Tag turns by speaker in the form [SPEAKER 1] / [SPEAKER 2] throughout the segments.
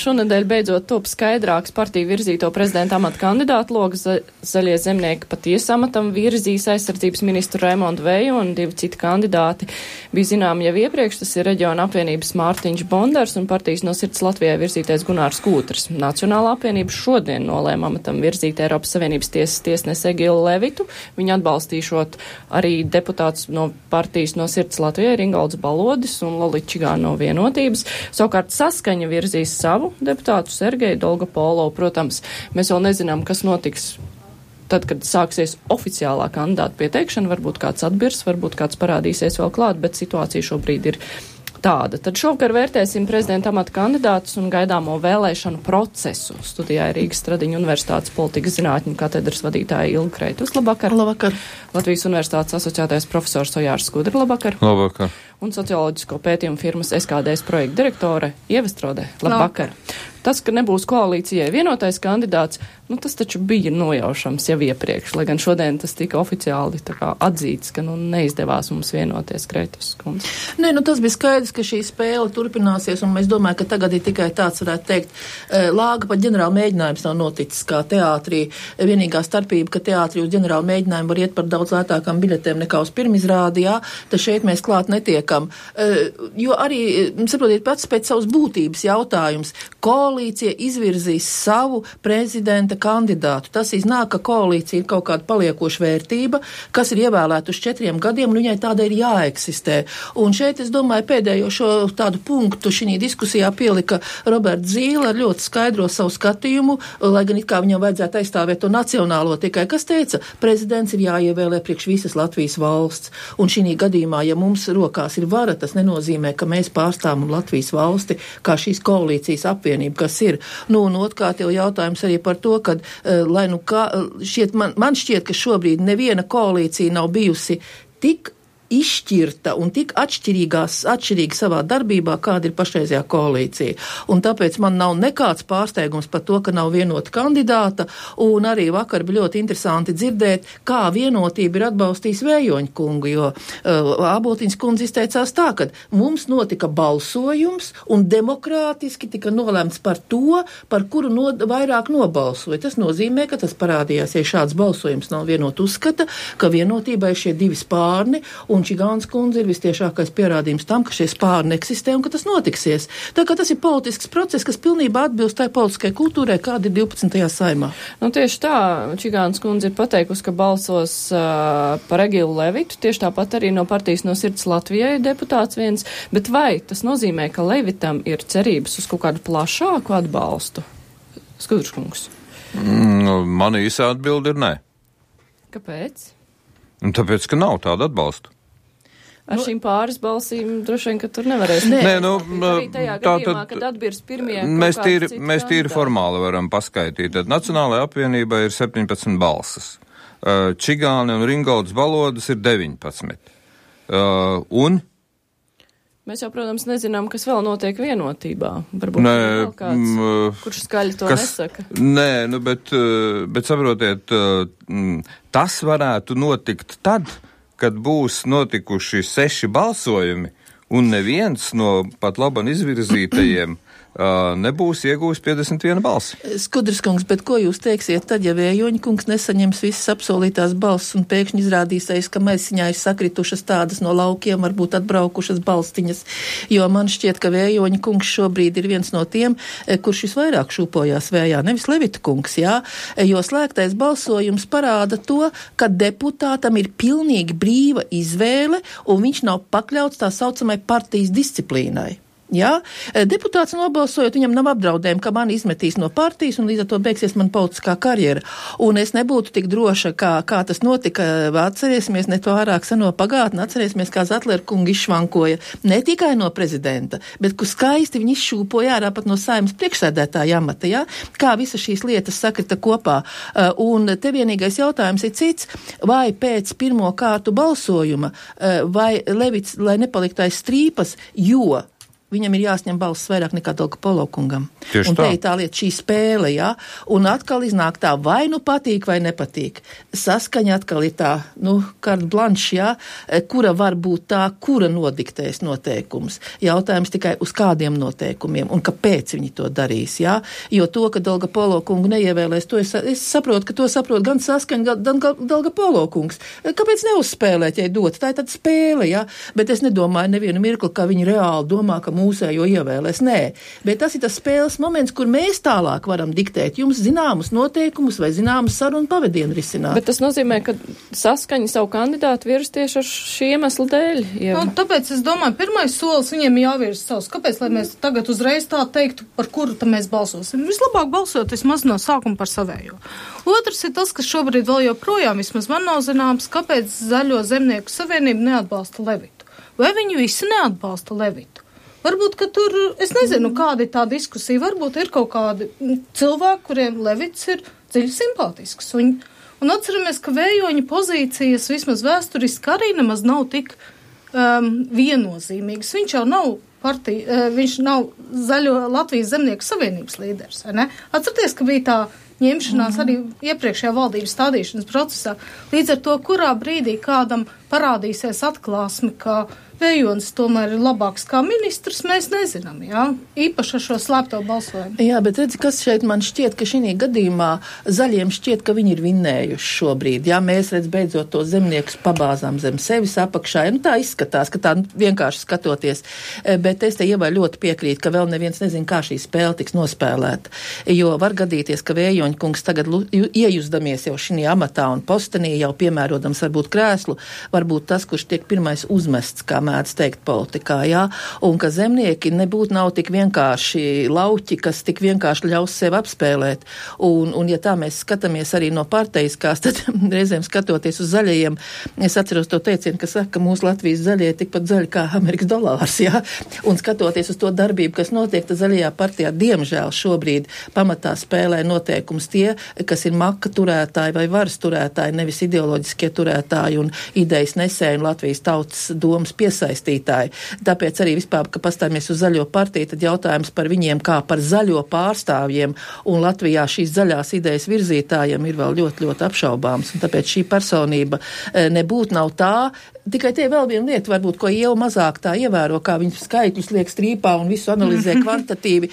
[SPEAKER 1] Šonedēļ beidzot top skaidrāks partiju virzīto prezidenta amata kandidātu logs. Zaļie zemnieki patiesi amatam virzīs aizsardzības ministru Raimondu Veju un 2 citi kandidāti. Bija zinām jau iepriekš, tas ir reģiona apvienības Mārtiņš Bondars un partijas No sirds Latvijai virzītais Gunārs Kūtrs. Nacionālā apvienība šodien nolēma amatam virzīt Eiropas Savienības tiesas tiesnesi Egilu Levitu. Viņa atbalstīšot arī deputātus no partijas No sirds Latvijai Ringolds Balodis un Lolita Čigāna no Vienotības. Savukārt Saskaņa virzīs savu deputātu Sergeju Dolgopolovu. Protams, mēs vēl nezinām, kas notiks tad, kad sāksies oficiālā kandidāta pieteikšana. Varbūt kāds atbirs, varbūt kāds parādīsies vēl klāt, bet situācija šobrīd ir tāda. Tad šovakar vērtēsim prezidenta amata kandidātus un gaidāmo vēlēšanu procesu. Studijā ir Rīgas Stradiņu Universitātes politikas zinātņu katedras vadītāja Ilga Kreitus. Labvakar.
[SPEAKER 2] Labvakar.
[SPEAKER 1] Latvijas Universitātes asociētais profesors Ojārs Skudra. Labvakar.
[SPEAKER 3] Labvakar.
[SPEAKER 1] Un socioloģisko pētījumu firmas SKDS projekta direktore Ieva Strode. Labvakar. Tas, ka nebūs koalīcijai vienotais kandidāts, tas taču bija nojaušams jau iepriekš, lai gan šodien tas tika oficiāli atzīts, ka neizdevās mums vienoties, Kreitus kundze.
[SPEAKER 2] Nē, tas bija skaidrs, ka šī spēle turpināsies, un es domāju, ka tagad ir tikai tāds, varētu teikt, lāga pat ģenerāla mēģinājums nav noticis kā teātrī. Vienīgā starpība, ka teātrī uz ģenerāla mēģinājumu var iet par daudz lētākām biļetēm nekā uz pirmizrādi, jā, tad šeit mēs klāt netiekam. Jo arī, saprotiet, pats pēc savas būtības jautājums, koalīcija izvirzīs savu prezidenta kandidātu. Tas iznāk, ka koalīcija ir kaut kāda paliekoša vērtība, kas ir ievēlēta uz 4 gadiem, un viņai tāda ir jāeksistē. Un šeit, es domāju, pēdējo šo tādu punktu šī diskusijā pielika Roberts Zīle ar ļoti skaidro savu skatījumu, lai gan it kā viņam vajadzētu aizstāvēt to nacionālo, tikai kas teica, prezidents ir jāievēlē priekš visas Latvijas valsts. Un šī gadījumā, ja mums rokās ir vara, tas nenozīmē, ka mēs pārstāvam Latvijas valsti kā šīs koalīcijas apvienība, kas ir. Un otrkārt jau jautājums arī par to, ka, man šķiet, ka šobrīd neviena koalīcija nav bijusi tik izšķirta un tik atšķirīga savā darbībā, kāda ir pašreizējā koalīcija. Un tāpēc man nav nekāds pārsteigums par to, ka nav vienota kandidāta, un arī vakar bija ļoti interesanti dzirdēt, kā vienotība ir atbalstījis Vējoņa kungu, jo Āboltiņas kundze izteicās tā, ka mums notika balsojums un demokrātiski tika nolēmts par to, par kuru vairāk nobalsoja. Tas nozīmē, ka tas parādījās, ja šāds balsojums nav vienot uzskata, ka vienotībai šie 2 spārni, un Čigānas kundze ir vistiešākais pierādījums tam, ka šie spārni eksistē un ka tas notiksies. Tā kā tas ir politisks process, kas pilnībā atbilst tai politiskai kultūrai, kāda ir 12. saimā.
[SPEAKER 1] Tieši tā, Čigānas kundze ir pateikusi, ka balsos par Egilu Levitu, tieši tāpat arī no partijas No sirds Latvijai deputāts viens, bet vai tas nozīmē, ka Levitam ir cerības uz kaut kādu plašāku atbalstu? Skudrškungs.
[SPEAKER 3] Man īsā atbilde ir nē.
[SPEAKER 1] Kāpēc?
[SPEAKER 3] Tāpēc, ka nav tāda atbalsta.
[SPEAKER 1] Ar šīm pāris balsīm droši vien, ka tur nevarēs. Arī tajā gadījumā, kad atbirs pirmie
[SPEAKER 3] mēs tīri formāli varam paskaitīt. Tad Nacionālajā apvienībā ir 17 balsas. Čigāni un Ringolds Balodis ir 19. Un?
[SPEAKER 1] Mēs jau, protams, nezinām, kas vēl notiek vienotībā. Varbūt vēl kāds, kurš skaļi to nesaka.
[SPEAKER 3] Nē, bet saprotiet, tas varētu notikt tad, kad būs notikuši 6 balsojumi, un neviens no pat labam izvirzītajiem nebūs iegūs 51 balsi.
[SPEAKER 2] Skudras kungs, bet ko jūs teiksiet tad, ja Vējoņa kungs nesaņems visas apsolītās balsis un pēkšņi izrādīsies, ka maisiņā ir sakritušas tādas no laukiem, varbūt atbraukušas balstiņas, jo man šķiet, ka Vējoņa kungs šobrīd ir viens no tiem, kurš visvairāk šūpojās vējā, nevis Levita kungs, jā, jo slēgtais balsojums parāda to, ka deputātam ir pilnīgi brīva izvēle un viņš nav pakļauts tā saucamai partijas disciplīnai. Jā, deputāts nobalsojot, viņam nav apdraudējumi, ka mani izmetīs no partijas un līdz ar to beigsies man politiskā karjera. Un es nebūtu tik droša, kā tas notika. Atcerēsimies ne to ārāk seno pagātni, atcerēsimies, kā Zatlera kunga izšvankoja ne tikai no prezidenta, bet kur skaisti viņi izšūpoja ārā pat no Saeimas priekšsēdētāja amata, jā? Kā visas šīs lietas sakrita kopā. Un te vienīgais jautājums ir cits, vai pēc pirmo kārtu balsojuma, vai Levits, lai nepaliktu aiz strīpas, jo viņam ir jāsņem balss vairāk nekā Daugavpils kungam.
[SPEAKER 3] Tieši
[SPEAKER 2] un
[SPEAKER 3] tā.
[SPEAKER 2] te ir tā lieta, šī spēle, jā, un atkal iznāk tā, vai nu patīk vai nepatīk. Saskaņa atkal ir tā, carte blanche, jā, kura var būt tā, kura nodiktēs noteikums. Jautājums tikai uz kādiem noteikumiem un kāpēc viņi to darīs, jā. Jo to, ka Daugavpils kungu neievēlēs, to es saprotu, ka to saprot gan Saskaņa, gan Daugavpils kungs. Kāpēc neuzspēlēt, ja dot? Tā ir tāda spēle, jā. Bet es nedomāju nevienu mirkli, ka viņi reāli domā, ka mūsējo ievēlēs. Nē, bet tas ir tas spēles moments, kur mēs tālāk varam diktēt jums zināmus noteikumus vai zināmus sarunu pavadienu risināt.
[SPEAKER 1] Bet tas nozīmē, ka Saskaņa savu kandidātu virs tieši ar šī iemesla dēļ.
[SPEAKER 4] Tāpēc es domāju, pirmais solis viņiem jāvirs savs. Kāpēc, lai mēs tagad uzreiz tā teiktu, par kuru tam mēs balsosim? Vislabāk balsot vismaz no sākuma par savējo. Otrs ir tas, kas šobrīd vēl joprojām vismaz man nav zināms, kāpēc Zaļo zemnieku savienība neatbalsta Levitu. Vai viņi visi neatbalsta Levitu? Varbūt, ka tur, es nezinu, kāda ir tā diskusija, varbūt ir kaut kādi cilvēki, kuriem Levits ir dziļi simpātisks. Un atceramies, ka Vējoņa pozīcijas vismaz vēsturiski arī nemaz nav tik viennozīmīgas. Viņš jau nav viņš nav Zaļo Latvijas zemnieku savienības līderis, vai ne? Atcerieties, ka bija tā ņemšanās arī iepriekšējā valdības stādīšanas procesā. Līdz ar to, kurā brīdī kādam parādīsies atklāsme, ka Vējonis tomēr ir labāks kā ministrs, mēs nezinām, jā? Īpaši ar šo slēpto balsojumu.
[SPEAKER 2] Jā, bet redzi, kas šeit man šķiet, ka šī gadījumā zaļiem šķiet, ka viņi ir vinnējuši šobrīd. Jā, mēs redz beidzot to zemniekus pabāzām zem sevis apakšā. Tā izskatās, ka tā vienkārši skatoties. Bet es te Ievai ļoti piekrītu, ka vēl neviens nezin, kā šī spēle tiks nospēlēta. Jo var gadīties, ka Vējoņa kungs tagad iejuzdamies jau šī amatā un postenī, jau piemērodams varbūt krēslu, varbūt tas, kurš tiek pirmais uzmests, kā mēdz teikt politikā, jā, un ka zemnieki nebūtu nav tik vienkārši lauķi, kas tik vienkārši ļaus sev apspēlēt. Un ja tā mēs skatāmies arī no parteiskās, tad reizēm skatoties uz zaļajiem, es atceros to teicienu, ka saka, ka mūsu Latvijas zaļie ir tikpat zaļi kā Amerikas dolārs, jā, un skatoties uz to darbību, kas notiek, tad zaļajā partijā, diemžēl šobrīd pamatā spēlē noteikums tie, kas ir maka turētāji vai varas turētāji, nevis ideoloģiskie turētāji un idejas nesēji un Latvijas tautas domas piesaistītāji. Tāpēc arī vispār, ka pastāmies uz zaļo partiju, tad jautājums par viņiem kā par zaļo pārstāvjiem un Latvijā šīs zaļās idejas virzītājiem ir vēl ļoti, ļoti apšaubāms. Un tāpēc šī personība nebūtu nav tā. Tikai tie vēl viena lieta, varbūt, ko Ieva mazāk tā ievēro, kā viņas skaitļus liek strīpā un visu analizē kvantatīvi,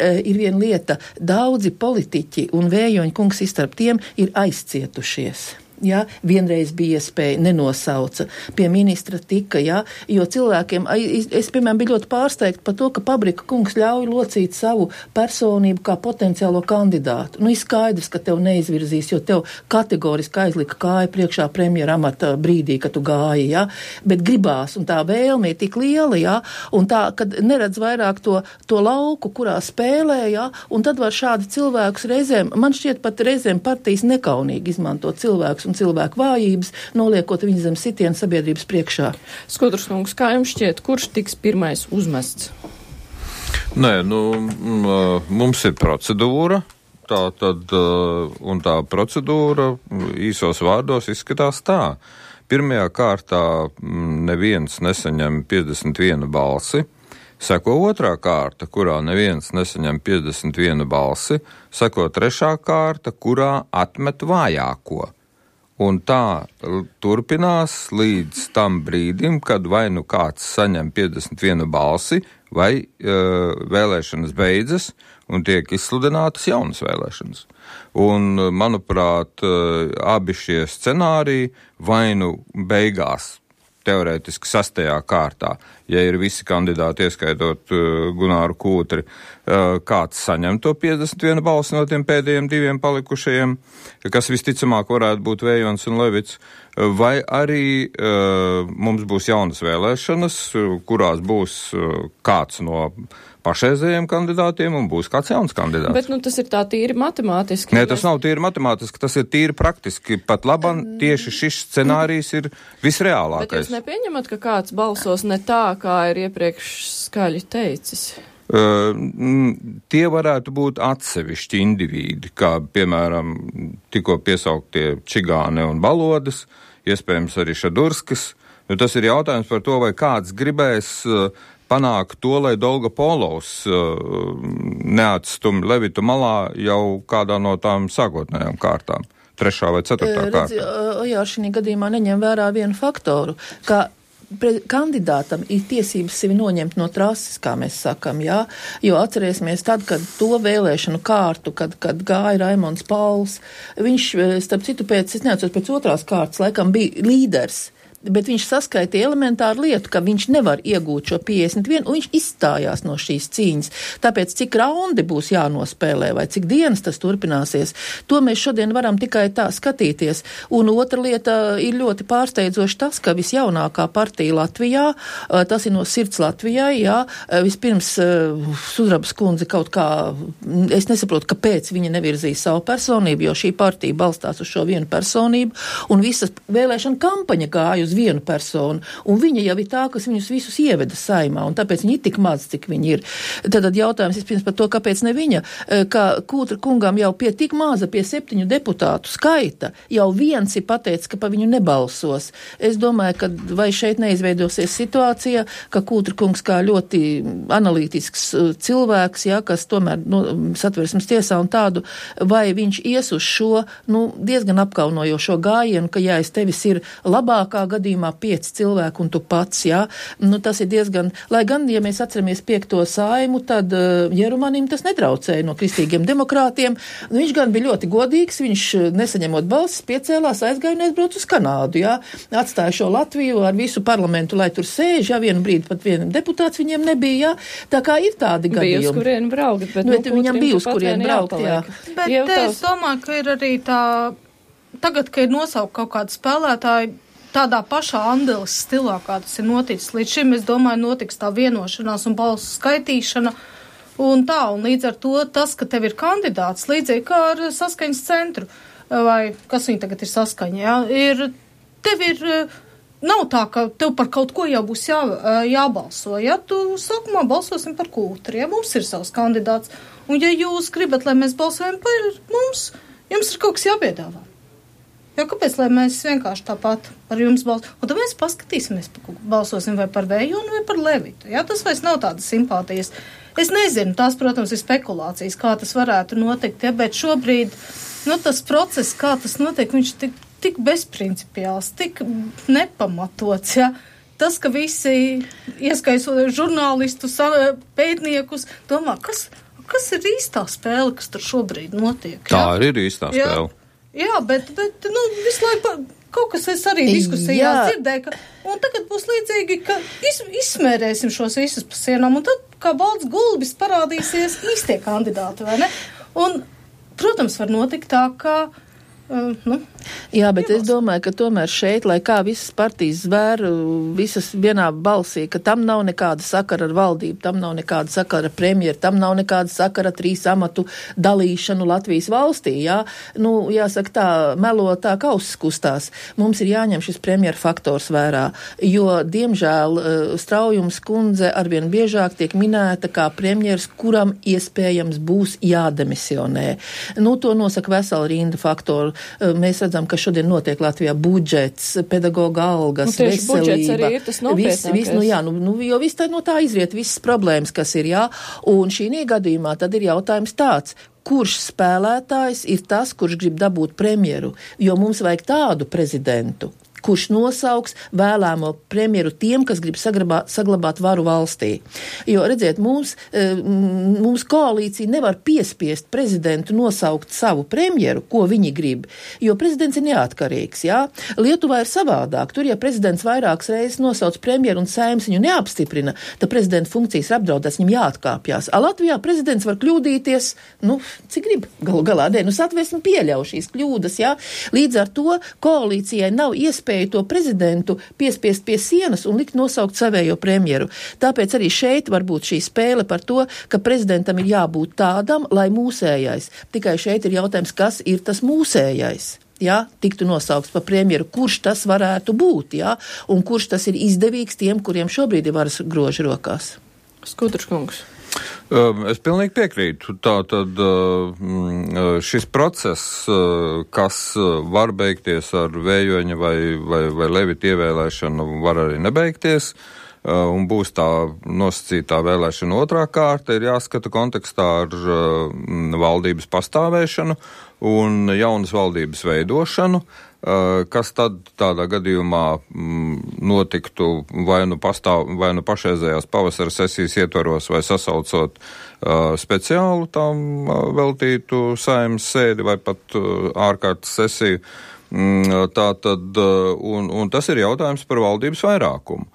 [SPEAKER 2] ir viena lieta. Daudzi politiķi un Vējoņa kungs starp tiem ir aizcietušies. Jā, vienreiz bija iespēja, nenosauca, pie ministra tika, jā, jo cilvēkiem, es, piemēram, biju ļoti pārsteigta par to, ka Pabrika kungs ļauj locīt savu personību kā potenciālo kandidātu. Ir skaidrs, ka tev neizvirzīs, jo tev kategoriski aizlika kāja priekšā premjera amata brīdī, kad tu gāji, jā, bet gribās, un tā vēlme ir tik liela, jā, un tā, kad neredz vairāk to lauku, kurā spēlē, jā, un tad var šādi cilvēkus reizēm, man šķiet pat reizēm partijas nekaunīgi izmanto cilvēkus un cilvēku vājības, noliekot viņu zem sitienu sabiedrības priekšā.
[SPEAKER 1] Skudras kungs, kā jums šķiet, kurš tiks pirmais uzmests?
[SPEAKER 3] Nē, mums ir procedūra, un tā procedūra īsos vārdos izskatās tā. Pirmajā kārtā neviens nesaņem 51 balsi, seko otrā kārta, kurā neviens nesaņem 51 balsi, seko trešā kārta, kurā atmet vājāko. Un tā turpinās līdz tam brīdim, kad vai nu kāds saņem 51 balsi, vai vēlēšanas beidzas un tiek izsludinātas jaunas vēlēšanas. Un, manuprāt, abi šie scenāriji vai nu beigās teorētiski 6. kārtā, ja ir visi kandidāti, ieskaitot Gunāru Kūtri, kāds saņem to 51 balsi no tiem pēdējiem 2 palikušajiem, kas visticamāk varētu būt Vējonis un Levits, vai arī mums būs jaunas vēlēšanas, kurās būs kāds no pašreizējiem kandidātiem un būs kāds jauns kandidāts.
[SPEAKER 1] Bet tas ir tā tīri matemātiski.
[SPEAKER 3] Nē, tas nav tīri matemātiski, tas ir tīri praktiski. Pat labam tieši šis scenārijs ir visreālākais.
[SPEAKER 1] Bet jūs nepieņemat, ka kāds balsos ne tā, kā ir iepriekš skaļi teicis?
[SPEAKER 3] Tie varētu būt atsevišķi indivīdi, kā piemēram tikko piesauktie Čigāne un Balodas, iespējams arī Šadurskis. Tas ir jautājums par to, vai kāds gribēs panākt to, lai Dolgopolovs neatstum Levitu malā jau kādā no tām sākotnējām kārtām, 3. vai 4. kārtā.
[SPEAKER 2] Jā, šī gadījumā neņem vērā vienu faktoru, ka kandidātam ir tiesības sevi noņemt no trases, kā mēs sakam, jā, jo atcerēsimies tad, kad to vēlēšanu kārtu, kad gāja Raimonds Pauls, viņš, starp citu, es neatceros, pēc 2. kārtas laikam bija līderis, bet viņš saskaitīja elementāru lietu, ka viņš nevar iegūt šo 51, un viņš izstājās no šīs cīņas. Tāpēc, cik raundi būs jānospēlē, vai cik dienas tas turpināsies, to mēs šodien varam tikai tā skatīties. Un otra lieta ir ļoti pārsteidzoši tas, ka visjaunākā partija Latvijā, tas ir no Sirds Latvijai, jā, vispirms Sudrabas kundze kaut kā, es nesaprotu, kāpēc viņa nevirzīja savu personību, jo šī partija balstās uz šo vienu personību, un visas vēlēšana kampaņa gāja uz vienu personu, un viņa jau ir tā, kas viņus visus ieveda saimā, un tāpēc viņi ir tik maz, cik viņi ir. Tad jautājums vispirms par to, kāpēc ne viņa, ka Kūtra kungam jau pie tik maza, pie 7 deputātu skaita, jau viens ir pateicis, ka pa viņu nebalsos. Es domāju, ka vai šeit neizveidosies situācija, ka Kūtra kungs kā ļoti analītisks cilvēks, jā, kas tomēr Satversmes tiesā un tādu, vai viņš ies uz šo, diezgan apkaunojošo gājienu, ka ja es tevis ir labākā gadījumā 5 cilvēku un tu pats, jā. Tas ir diezgan, lai gan, ja mēs atceramies 5. saimu, tad Jerumanim tas netraucēja no kristīgiem demokrātiem. Viņš gan bija ļoti godīgs, viņš nesaņemot balsis, piecēlās, aizgāja un aizbrauc uz Kanādu, jā. Atstāja šo Latviju ar visu parlamentu, lai tur sēž, jā, vienu brīdi pat vienu deputāts viņiem nebija, jā. Tā kā ir tādi gadījumi.
[SPEAKER 1] Bija uz kurien braukt, bet
[SPEAKER 2] viņam bija uz kurien braukt, jā.
[SPEAKER 4] Bet es domāju, ka ir arī tā, tagad, ka ir nosaukt kaut kādu spēlētāju, tādā pašā Andeles stilā, kā tas ir noticis. Līdz šim, es domāju, notiks tā vienošanās un balsu skaitīšana un tā, un līdz ar to tas, ka tev ir kandidāts, līdzīgi kā ar saskaņas centru, vai kas viņi tagad ir saskaņa, jā, tev ir, nav tā, ka tev par kaut ko jau būs jābalso, ja tu sākumā balsosim par Kūtri, ja mums ir savs kandidāts, un ja jūs gribat, lai mēs balsojam par mums, jums ir kaut kas jāpiedāvā. Jo kāpēc, lai mēs vienkārši tāpat par jums balsojam? Un tad mēs paskatīsimies, balsosim vai par Vējonu vai par Levitu. Jā, tas vairs nav tādas simpātijas. Es nezinu, tās, protams, ir spekulācijas, kā tas varētu notikt, ja, bet šobrīd, tas process, kā tas notiek, viņš tik bezprincipiāls, tik nepamatots, ja. Tas, ka visi, ieskaisot žurnālistus, pētniekus, domā, kas ir īstā spēle, kas tur šobrīd notiek? Ja?
[SPEAKER 3] Tā ir īstā spēle.
[SPEAKER 4] Jā, bet visu laiku kaut kas es arī diskusijās dzirdēju, un tagad būs līdzīgi, ka izsmērēsim šos visus pa sienām, un tad kā balts gulbis parādīsies īstie kandidāti, vai ne? Un, protams, var notikt tā, ka
[SPEAKER 2] Jā, bet es domāju, ka tomēr šeit, lai kā visas partijas zvēr, visas vienā balsī, ka tam nav nekāda sakara ar valdību, tam nav nekāda sakara ar premjeru, tam nav nekāda sakara ar 3 amatu dalīšanu Latvijas valstī, jā. Jāsaka tā, melo tā kauss kustās. Mums ir jāņem šis premjeru faktors vērā, jo, diemžēl, Straujums kundze arvien biežāk tiek minēta kā premjeras, kuram iespējams būs jādemisionē. To nosaka vesela rinda faktoru. Mēs redzam, ka šodien notiek Latvijā budžets, pedagoga algas, veselība.
[SPEAKER 1] Budžets arī ir tas nopietnākais.
[SPEAKER 2] Jo viss no tā izriet visas problēmas, kas ir, jā. Un šī gadījumā tad ir jautājums tāds, kurš spēlētājs ir tas, kurš grib dabūt premjeru, jo mums vajag tādu prezidentu, kurš nosauks vēlēmo premjeru tiem, kas grib saglabāt varu valstī. Jo, redziet, mums koalīcija nevar piespiest prezidentu nosaukt savu premjeru, ko viņi grib, jo prezidents ir neatkarīgs, jā. Lietuvā ir savādāk. Tur, ja prezidents vairākas reizes nosauc premjeru un Saeims viņu neapstiprina, tad prezidenta funkcijas ir apdraudētas, viņam jāatkāpjas. Latvijā prezidents var kļūdīties, cik grib, galu galā, Satversme pieļauj šīs kļūdas, jā. Līdz ar to koalīcijai nav iespēja to prezidentu piespiest pie sienas un likt nosaukt savējo premjeru. Tāpēc arī šeit var būt šī spēle par to, ka prezidentam ir jābūt tādam, lai mūsējais. Tikai šeit ir jautājums, kas ir tas mūsējais. Jā, tiktu nosaukts par premjeru, kurš tas varētu būt, jā, un kurš tas ir izdevīgs tiem, kuriem šobrīd ir varas groži rokās.
[SPEAKER 1] Skudrs kungs.
[SPEAKER 3] Es pilnīgi piekrītu. Tātad šis process, kas var beigties ar Vējoņa vai Levita ievēlēšanu, var arī nebeigties. un būs tā nosacītā vēlēšana otrā kārta, ir jāskata kontekstā ar valdības pastāvēšanu un jaunas valdības veidošanu, kas tad tādā gadījumā notiktu vai nu pašreizējās pavasara sesijas ietvaros vai sasaucot speciālu tam veltītu saeimas sēdi vai pat ārkārtas sesiju. Tātad, un tas ir jautājums par valdības vairākumu.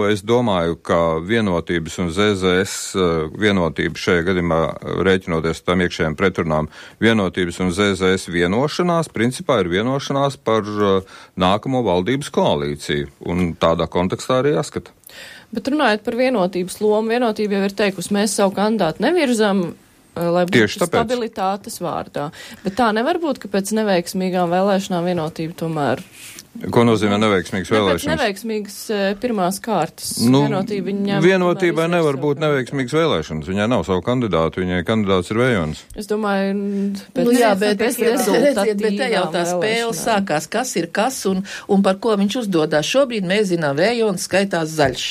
[SPEAKER 3] Es domāju, ka vienotības un ZZS vienotība šajā gadījumā rēķinoties tam iekšējiem pretrunām, vienotības un ZZS vienošanās, principā ir vienošanās par nākamo valdības koalīciju, un tādā kontekstā arī jāskata.
[SPEAKER 1] Bet runājot par vienotības lomu, vienotība jau ir teikusi, mēs savu kandidātu nevirzam, lai būtu stabilitātes vārdā. Bet tā nevar būt, ka pēc neveiksmīgām vēlēšanām vienotība tomēr...
[SPEAKER 3] Ko nozīmē neveiksmīgas vēlēšanas?
[SPEAKER 1] Neveiksmīgas pirmās kārtas.
[SPEAKER 3] Vienotībai nevar būt neveiksmīgas vēlēšanas. Viņai nav savu kandidātu, viņai kandidāts ir Vējons.
[SPEAKER 1] Es domāju,
[SPEAKER 2] bet te jau tā spēle sākās, kas ir kas un par ko viņš uzdodās. Šobrīd mēs zinām, Vējons skaitās zaļš.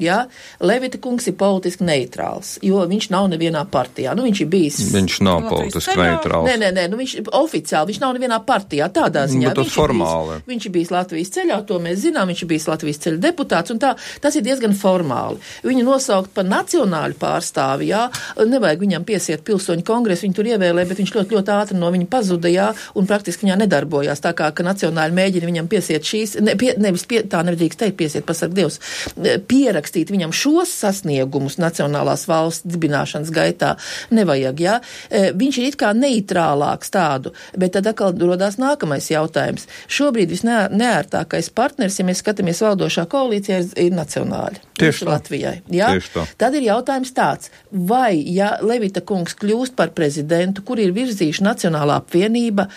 [SPEAKER 2] Ja? Levita kungs ir politiski neitrāls, jo viņš nav nevienā partijā. Viņš ir bijis...
[SPEAKER 3] Viņš nav politiski neitrāls.
[SPEAKER 2] Nē, viņš oficiāli, viņš nav nevienā partijā, tādā ziņā.
[SPEAKER 3] Bet tas formāli.
[SPEAKER 2] Viņš ir bijis Latvijas ceļā, to mēs zinām, viņš ir bijis Latvijas ceļa deputāts, un tas ir diezgan formāli. Viņu nosaukt par nacionāļu pārstāvi, jā, nevajag viņam piesiet pilsoņu kongresu, viņu tur ievēlē, bet viņš ļoti, ļoti ātri no viņa pazuda, jā, un praktiski viņā nedarbojās, tā kā, ka nacionāļi mēģina viņam piesiet šīs, tā nevadīgs teikt piesiet, pasarg Dievs, pierakstīt viņam šos sasniegumus nacionālās valsts dibināšanas gaitā nevajag, jā. Viņš ir it kā neitrālāks tādu, bet tad atkal rodās nākamais jautājums. Šobrīd visneērtākais partners, ja mēs skatāmies valdošā koalīcijā, ir nacionāļi.
[SPEAKER 3] Tieši
[SPEAKER 2] Latvijai. Jā? Tad ir jautājums tāds, vai, ja Levita kungs kļūst par prezidentu, kur ir virzījuši Nacionālā apvienība,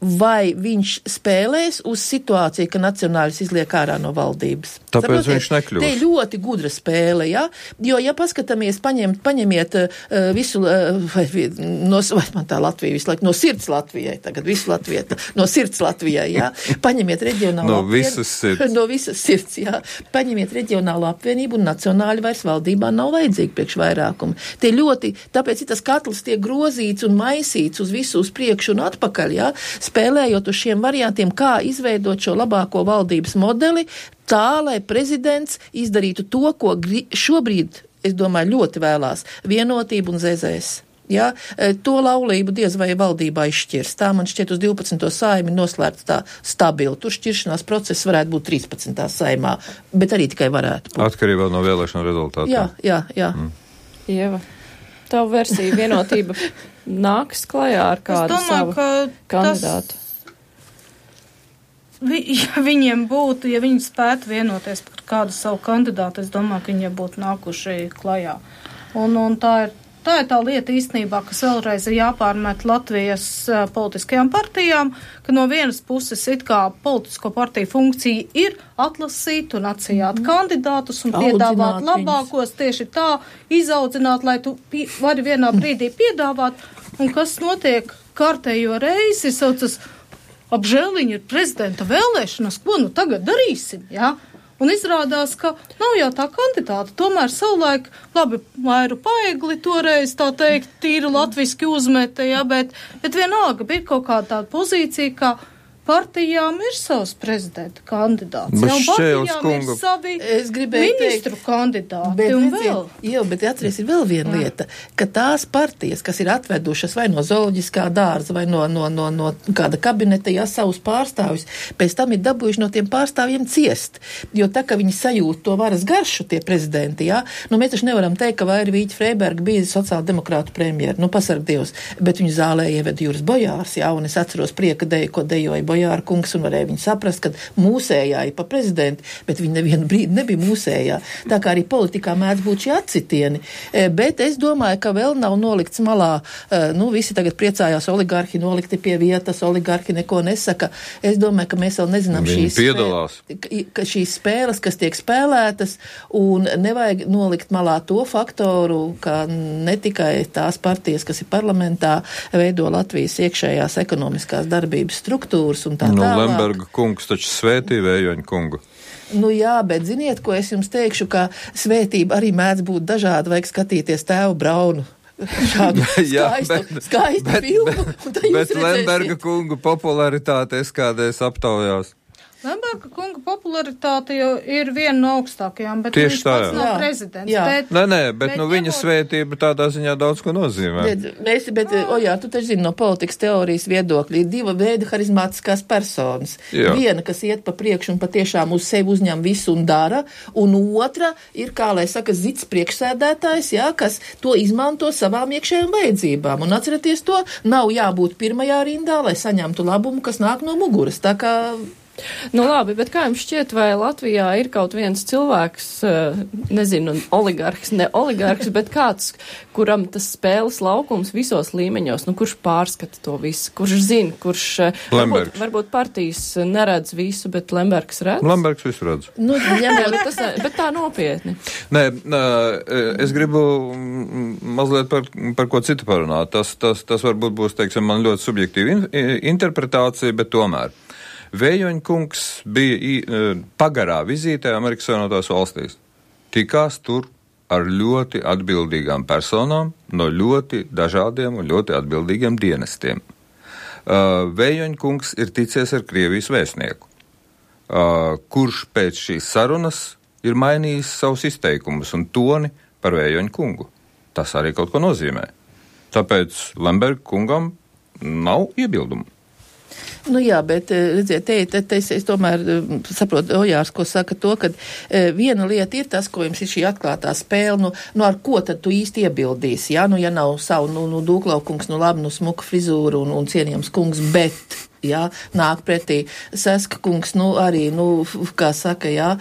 [SPEAKER 2] vai viņš spēlēs uz situāciju, ka nacionāļus izliek ārā no valdības.
[SPEAKER 3] Tāpēc viņš nekļūst.
[SPEAKER 2] Te ir ļoti gudra spēle, ja? Jo, ja paskatāmies, paņemiet visu, vai man tā Latvija visu laiku, no sirds Latvijai, tagad visu Latviju, no sirds Latvijai, ja? Paņemiet reģionālo
[SPEAKER 3] no
[SPEAKER 2] visas sirds, ja? Paņemiet reģionālo apvienību un nacionāļi vairs valdībā nav vajadzīgi priekš vairākumu. Te ļoti, tāpēc ir tas katls tiek grozīts un maisīts uz visu uz priekšu un atpakaļ, ja? Spēlējot uz šiem variantiem, kā izveidot šo labāko valdības modeli, tā, lai prezidents izdarītu to, ko šobrīd, es domāju, ļoti vēlās - vienotību un ZZS. Ja? To laulību diez vai valdībā izšķirs. Tā man šķiet uz 12. saimi noslēgta tā stabili. Tur šķiršanās process varētu būt 13. saimā, bet arī tikai varētu būt.
[SPEAKER 3] Atkarībā no vēlēšanu rezultātiem.
[SPEAKER 2] Jā.
[SPEAKER 1] Ieva, tavu versiju vienotība nāks klajā ar kādu savu kandidātu?
[SPEAKER 4] Ja viņiem būtu, ja viņi spētu vienoties par kādu savu kandidātu, es domāju, ka viņi būtu nākuši klajā. Un tā ir tā lieta īstenībā, kas vēlreiz ir jāpārmet Latvijas politiskajām partijām, ka no vienas puses it kā politisko partiju funkcija ir atlasīt un atsijāt kandidātus un piedāvāt labākos, tieši tā, izaudzināt, lai tu vari vienā brīdī piedāvāt, un kas notiek kārtējo reizi, ir saucas apžēliņa ir prezidenta vēlēšanas, ko nu tagad darīsim, jā? Un izrādās, ka nav jau tā kandidāta. Tomēr savulaik, labi, Mairu Paegli toreiz, tā teikt, tīri latviski uzmeta, jā, bet vienalga bija kaut kāda tāda pozīcija, ka partijām ir savs prezidenta kandidāts. Jau partijām ir savi ministru kandidāti un vēl.
[SPEAKER 2] Jā, bet atceries, ir vēl viena lieta, ka tās partijas, kas ir atvedušas vai no zooloģiskā dārza, vai no kāda kabineta, jā, savus pārstāvjus, pēc tam ir dabūjuši no tiem pārstāvjiem ciest. Jo tā, ka viņi sajūt to varas garšu, tie prezidenti, jā, mēs taču nevaram teikt, ka Vaira Vīķa Freiberga bija sociāldemokrātu premjera, pasarg Dievs, bet viņu zālē ieveda Juris Bojārs, jā, un es atceros prieka deju, ko dejoja Bojāra kungs, un varēja viņu saprast, ka mūsējā ir pa prezidenti, bet viņi nevienu brīdi nebija mūsējā. Tā kā arī politikā mēdz būt šie atsitieni. Bet es domāju, ka vēl nav nolikts malā, visi tagad priecājās, oligarhi nolikti pie vietas, oligarhi neko nesaka. Es domāju, ka mēs vēl nezinām šīs spēles, kas tiek spēlētas, un nevajag nolikt malā to faktoru, ka ne tikai tās partijas, kas ir parlamentā, veido Latvijas iekšējās ekonomiskās darbības struktūras un tā tālāk.
[SPEAKER 3] Lemberga kungs taču svētīja Vējoņa kungu.
[SPEAKER 2] Nu jā, bet ziniet, ko es jums teikšu, ka svētība arī mēdz būt dažāda, vajag skatīties tēvu Braunu. Šādu skaistu filmu.
[SPEAKER 3] Bet Lemberga kungu popularitāte es kādreiz aptaujās.
[SPEAKER 4] Lemberga kunga popularitāte jau ir viena no augstākajām, bet
[SPEAKER 3] tieši
[SPEAKER 4] viņš pats nav prezidents.
[SPEAKER 3] Bet viņa svētība tādā ziņā daudz ko nozīmē.
[SPEAKER 2] Tu taču zini no politikas teorijas viedokļa, ir diva veida harizmātiskās personas. Jā. Viena, kas iet pa priekšu un patiešām uz sevi uzņem visu un dara, un otra ir, kā lai saka, zits priekšsēdētājs, jā, kas to izmanto savām iekšējām vajadzībām. Un atcerieties to, nav jābūt pirmajā rindā, lai saņemtu labumu, kas nāk no muguras. Tā kā
[SPEAKER 1] Nu labi, bet kā jums šķiet, vai Latvijā ir kaut viens cilvēks, nezinu, oligarhs, ne oligarhs, bet kāds, kuram tas spēles laukums visos līmeņos, nu kurš pārskata to visu, kurš zina, kurš varbūt partijas neredz visu, bet Lembergs redz?
[SPEAKER 3] Lembergs visu redz.
[SPEAKER 1] Nu, bet tā nopietni.
[SPEAKER 3] Nē, es gribu mazliet par ko citu parunāt. Tas varbūt būs, teiksim, man ļoti subjektīva interpretācija, bet tomēr. Vējoņkungs bija pagarā vizītē Amerikas Savienotās valstīs. Tikās tur ar ļoti atbildīgām personām no ļoti dažādiem un ļoti atbildīgiem dienestiem. Vējoņkungs ir ticies ar Krievijas vēstnieku, kurš pēc šīs sarunas ir mainījis savus izteikumus un toni par Vējoņkungu. Tas arī kaut ko nozīmē. Tāpēc Lemberga kungam nav iebildumu.
[SPEAKER 2] Nu jā, bet, redziet, es tomēr saprotu, Ojārs, ko saka to, ka viena lieta ir tas, ko jums ir šī atklātā spēle, nu ar ko tad tu īsti iebildīsi, jā, ja nav savu, Dūklaukungs, labi, smuka frizūra un cienījams kungs, bet, jā, nāk pretī Saska kungs, arī, kā saka, jā,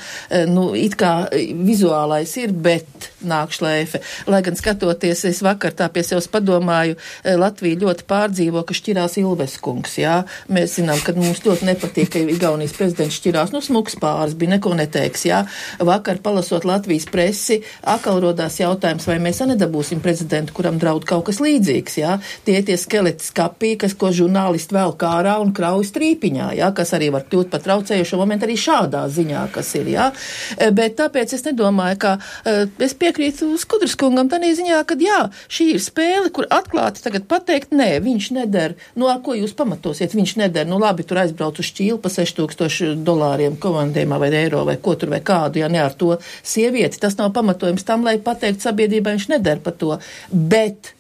[SPEAKER 2] it kā vizuālais ir, bet nāk šleife. Lai gan skatoties, es vakar tā pie sevis padomāju, Latvija ļoti pārdzīvo, ka šķirās Ilves kungs, jā. Mēs zinām, ka mums ļoti nepatīk, ka Igaunijas prezidents šķirās, smuks pāris bija, neko neteiks, jā. Vakar palasot Latvijas presi, atkal rodās jautājums, vai mēs nedabūsim prezidentu, kuram draud kaut kas līdzīgs, jā. Tie skeleti skapī, ko žurnālisti vēl kārā un krauj strīpiņā, jā, kas arī var kļūt par traucējušo momentu arī šādā ziņā, kas ir, jā. Bet tāpēc es nedomāju, ka es piekrītu Skudras kungam tādā ziņā, ka jā, šī ir spēle, kur atklāti tagad pateikt, nē, viņš neder, ar ko jūs pamatosiet, viņš neder, labi, tur aizbrauc uz Čīlu pa $6,000 komandējumā vai eiro vai ko tur vai kādu, ja ne ar to sievieti, tas nav pamatojums tam, lai pateikt sabiedrībai, viņš neder par to, bet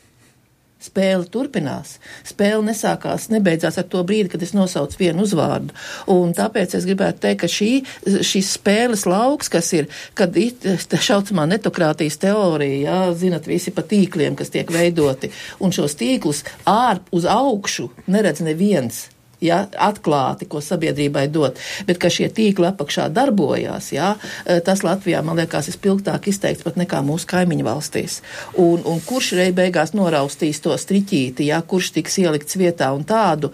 [SPEAKER 2] spēle turpinās. Spēle nebeidzās ar to brīdi, kad es nosaucu vienu uzvārdu. Un tāpēc es gribētu teikt, ka šīs spēles lauks, kas ir, kad tā šaucamā netokrātijas teorija, jā, zinat, visi pa tīkliem, kas tiek veidoti, un šos tīklus uz augšu neredz neviens. Ja, atklāti, ko sabiedrībai dot, bet ka šie tīkli apakšā darbojās, ja, tas Latvijā, man liekas, ir spilgtāk izteikts pat nekā mūsu kaimiņu valstīs. Un kurš beigās noraustīs to striķīti, ja, kurš tiks ielikts vietā un tādu,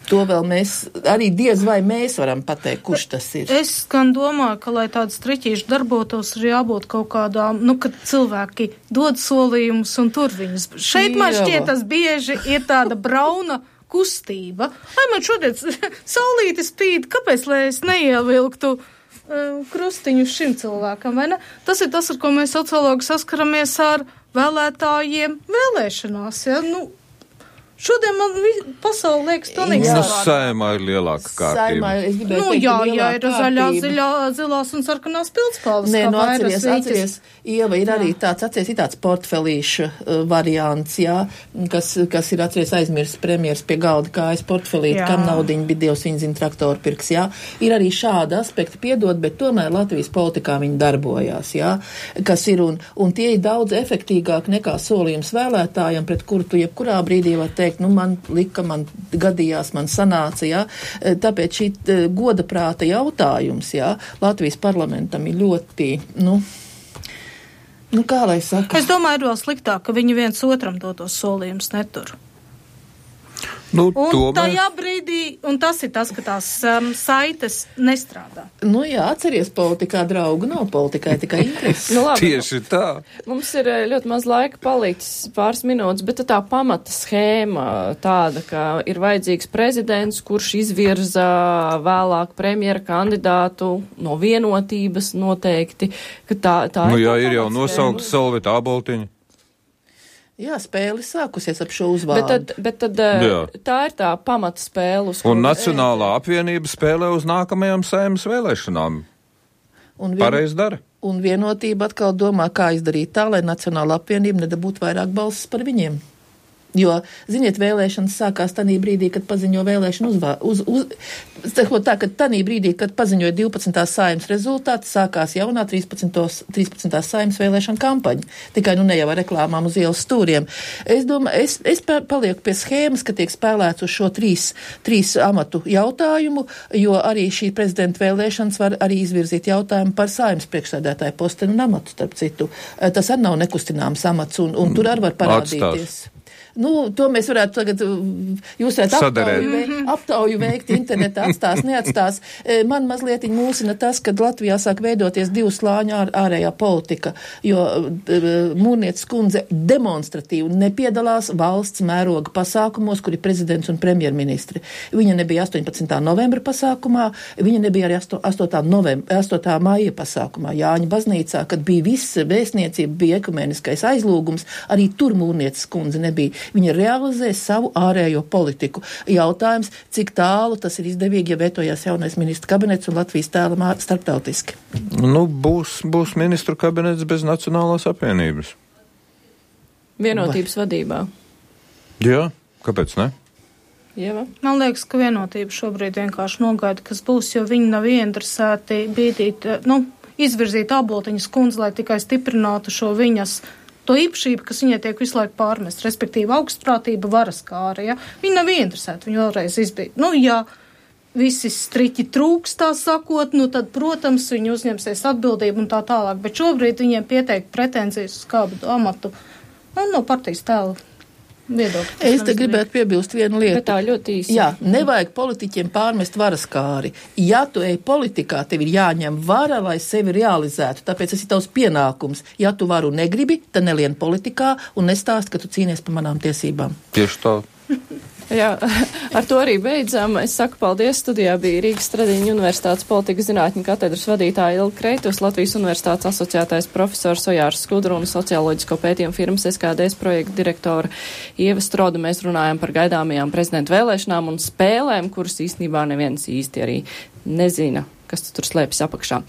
[SPEAKER 2] to vēl mēs, arī diez vai mēs varam pateikt, kurš tas ir.
[SPEAKER 4] Es gan domāju, ka, lai tāds striķīši darbotos, ir jābūt kaut kādām, kad cilvēki dod solījumus un tur viņus. Šeit man šķiet, tas bieži ir tāda brauna kustība. Ai, man šodien saulīte spīd, kāpēc, lai es neievilktu krustiņu šim cilvēkam, vai ne? Tas ir tas, ar ko mēs sociologi saskaramies ar vēlētājiem vēlēšanās, ja? Šodien man pasauli liekas pilnīgi savādāk.
[SPEAKER 3] Saimā ir lielāka kārtība.
[SPEAKER 4] Jā, ir zilās un sarkanās pildspalvas.
[SPEAKER 2] Nē, atceries, Ieva, ir arī tāds portfelīša variants, jā, kas ir aizmirsts premjers pie galda kājas portfelīti, kam naudiņa bija Dievs viņa zina traktoru pirks, jā. Ir arī šāda aspekta piedod, bet tomēr Latvijas politikā viņi darbojās, jā, kas ir, un tie ir daudz efektīgāk nekā solījums vēlētājiem, pret kuru tu jebkurā brīdī var teikt, man lika, man gadījās, man sanāca, jā. Tāpēc šī goda prāta jautājums, jā, Latvijas parlamentam ir ļoti, kā lai saka?
[SPEAKER 4] Es domāju, ir vēl sliktāk, ka viņi viens otram dotos solījumus netur.
[SPEAKER 3] Nu,
[SPEAKER 4] un tajā brīdī, un tas ir tas, ka tās saites nestrādā.
[SPEAKER 2] Nu jā, atceries, politikā draugu nav, politikai tikai intereses.
[SPEAKER 1] Nu, labi,
[SPEAKER 3] tieši tā.
[SPEAKER 1] Mums ir ļoti maz laika palicis, pāris minūtes, bet tā pamata schēma tāda, ka ir vajadzīgs prezidents, kurš izvirza vēlāk premjera kandidātu no vienotības noteikti, ka tā
[SPEAKER 3] Nu
[SPEAKER 1] ir
[SPEAKER 3] jā,
[SPEAKER 1] tā
[SPEAKER 3] ir jau
[SPEAKER 1] pamatschēma.
[SPEAKER 3] nosaukta Solvita Āboltiņa.
[SPEAKER 2] Jā, spēle sākusies ap šo uzvārdu.
[SPEAKER 1] Bet tad
[SPEAKER 3] Jā.
[SPEAKER 1] tā ir tā pamata spēle, uz
[SPEAKER 3] Un
[SPEAKER 1] kuras-
[SPEAKER 3] Nacionālā apvienība spēlē uz nākamajām Saeimas vēlēšanām. Pareizi dara.
[SPEAKER 2] Un vienotība atkal domā, kā izdarīt tā, lai Nacionāla apvienība nedabūtu vairāk balsis par viņiem. Jo, ziniet, vēlēšanas sākās tanī brīdī, kad paziņo vēlēšanu tā, kad tanī brīdī, kad paziņoja 12. Saeimas rezultāti, sākās jaunā 13. Saeimas vēlēšana kampaņa. Tikai nu ne jau ar reklāmām uz ielas stūriem. Es domāju, es palieku pie schēmas, ka tiek spēlēts uz šo trīs amatu jautājumu, jo arī šī prezidenta vēlēšanas var arī izvirzīt jautājumu par Saeimas priekšsēdētāju postenu un amatu, starp citu. Tas arī nav nekustināms amats, un tur arī var parādīties. Nu, to mēs varētu tagad, jūs varētu aptauju veikt internetā, neatstās. Man mazliet mūsina tas, kad Latvijā sāk veidoties divu slāņu ārējā politika, jo Mūrnietes kundze demonstratīvi nepiedalās valsts mēroga pasākumos, kur ir prezidents un premjerministri. Viņa nebija 18. novembra pasākumā, viņa nebija arī 8. maija pasākumā Jāņa baznīcā, kad bija viss vēstniecība, bija ekumeniskais aizlūgums, arī tur Mūrnietes kundze nebija. Viņa realizē savu ārējo politiku. Jautājums, cik tālu tas ir izdevīgi, ja vietojās jaunais ministru kabinets un Latvijas tēlam starptautiski?
[SPEAKER 3] Nu, būs ministru kabinets bez Nacionālās apvienības.
[SPEAKER 1] Vienotības vadībā.
[SPEAKER 3] Jā, kāpēc ne?
[SPEAKER 1] Ieva?
[SPEAKER 4] Man liekas, ka vienotība šobrīd vienkārši nogaida, kas būs, jo viņi nav ieinteresēti izvirzīt Āboltiņas kundzi, lai tikai stiprinātu šo viņas to īpašību, kas viņai tiek visu laiku pārmest, respektīvi augstprātība, varas kāra, ja? Viņi nav ieinteresēti, viņi vēlreiz izbīt. Nu, ja visi striķi trūks, tā sakot, nu tad, protams, viņi uzņemsies atbildību un tā tālāk, bet šobrīd viņiem pieteikt pretenzijas uz kādu amatu, no partijas tēla viedokļa.
[SPEAKER 2] Es te gribētu piebilst vienu lietu.
[SPEAKER 1] Bet tā ļoti īsi.
[SPEAKER 2] Jā, nevajag politiķiem pārmest varas kāri. Ja tu ej politikā, tev ir jāņem vara, lai sevi realizētu. Tāpēc tas ir tavs pienākums. Ja tu varu negribi, tad nelien politikā un nestāst, ka tu cīnies par manām tiesībām.
[SPEAKER 3] Tieši tā.
[SPEAKER 1] Jā, ar to arī beidzam. Es saku paldies. Studijā bija Rīgas Stradiņu Universitātes politikas zinātņu katedras vadītāja Ilga Kreitus, Latvijas Universitātes asociētais profesors Ojārs Skudra un socioloģisko pētījumu firmas SKDS projekta direktora Ieva Stroda. Mēs runājam par gaidāmajām prezidenta vēlēšanām un spēlēm, kuras īstenībā neviens īsti arī nezina, kas tur slēpjas apakšā.